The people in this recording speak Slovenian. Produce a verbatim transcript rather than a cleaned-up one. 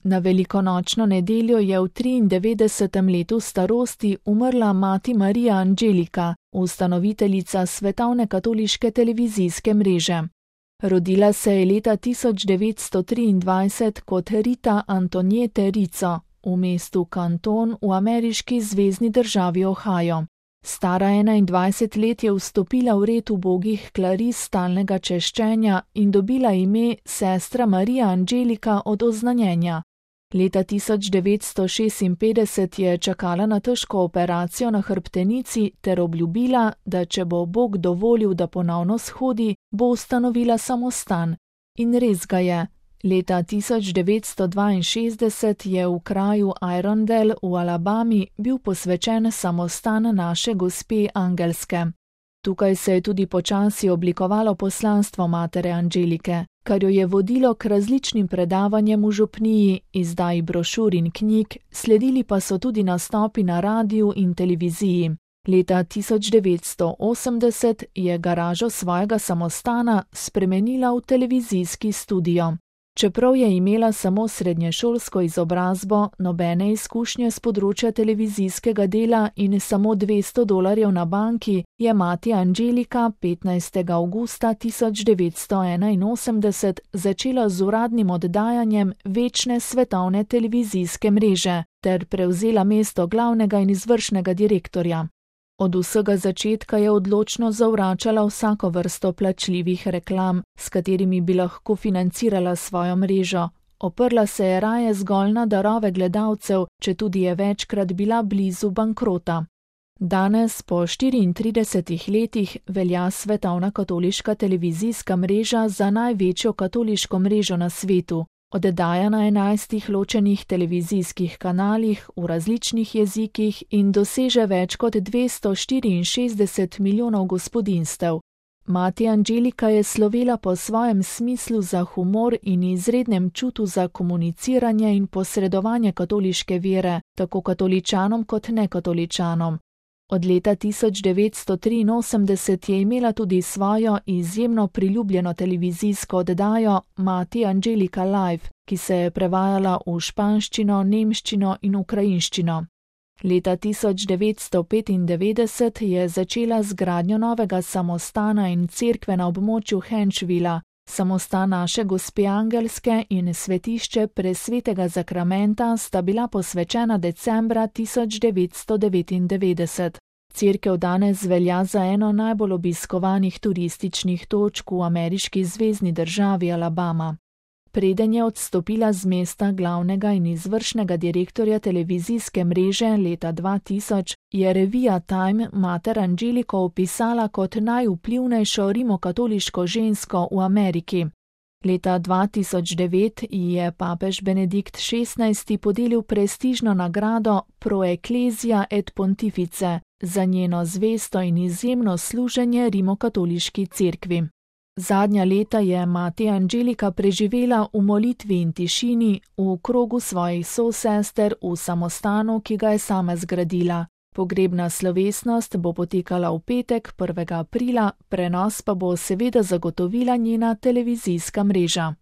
Na velikonočno nedeljo je v triindevetdesetem letu starosti umrla mati Marija Angelika, ustanoviteljica svetovne katoliške televizijske mreže. Rodila se je leta tisoč devetsto triindvajset kot Rita Antoniete Rizzo v mestu Canton v ameriški zvezni državi Ohio. Stara enaindvajset let je vstopila v red ubogih klaris stalnega češčenja in dobila ime sestra Marija Angelika od oznanjenja. Leta tisoč devetsto šestinpetdeset je čakala na težko operacijo na hrbtenici ter obljubila, da če bo Bog dovolil, da ponovno shodi, bo ustanovila samostan. In res ga je. Leta tisoč devetsto dvainšestdeset je v kraju Irondale v Alabami bil posvečen samostan naše gospe Angelske. Tukaj se je tudi počasi oblikovalo poslanstvo matere Angelike, kar jo je vodilo k različnim predavanjem v župniji, izdaji brošur in knjig, sledili pa so tudi nastopi na radiju in televiziji. Leta tisoč devetsto osemdeset je garažo svojega samostana spremenila v televizijski studio. Čeprav je imela samo srednješolsko izobrazbo, nobene izkušnje s področja televizijskega dela in samo dvesto dolarjev na banki, je mati Angelika petnajstega avgusta tisoč devetsto enainosemdeset začela z uradnim oddajanjem večne svetovne televizijske mreže ter prevzela mesto glavnega in izvršnega direktorja. Od vsega začetka je odločno zavračala vsako vrsto plačljivih reklam, s katerimi bi lahko financirala svojo mrežo. Oprla se je raje zgolj na darove gledalcev, četudi je večkrat bila blizu bankrota. Danes, po štiriintridesetih letih, velja svetovna katoliška televizijska mreža za največjo katoliško mrežo na svetu. Oddaja na enajstih ločenih televizijskih kanalih v različnih jezikih in doseže več kot dvesto štiriinšestdeset milijonov gospodinjstev. Mati Angelika je slovela po svojem smislu za humor in izrednem čutu za komuniciranje in posredovanje katoliške vere, tako katoličanom kot nekatoličanom. Od leta tisoč devetsto triinosemdeset je imela tudi svojo izjemno priljubljeno televizijsko oddajo Mati Angelika Live, ki se je prevajala v španščino, nemščino in ukrajinščino. Leta tisoč devetsto petindevetdeset je začela z gradnjo novega samostana in cerkve na območju Henšvila. Samostan naše gospe Angelske in svetišče Presvetega zakramenta sta bila posvečena decembra tisoč devetsto devetindevetdeset. Cerkev danes velja za eno najbolj obiskovanih turističnih točk v ameriški zvezni državi Alabama. Preden je odstopila z mesta glavnega in izvršnega direktorja televizijske mreže leta dva tisoč, je revija Time mater Angeliko opisala kot najvplivnejšo rimokatoliško žensko v Ameriki. Leta dva tisoč devet ji je papež Benedikt šestnajsti podelil prestižno nagrado Pro Ecclesia et Pontifice za njeno zvesto in izjemno služenje rimokatoliški cerkvi. Zadnja leta je mati Angelika preživela v molitvi in tišini v krogu svojih sosester v samostanu, ki ga je sama zgradila. Pogrebna slovesnost bo potekala v petek, prvega aprila, prenos pa bo seveda zagotovila njena televizijska mreža.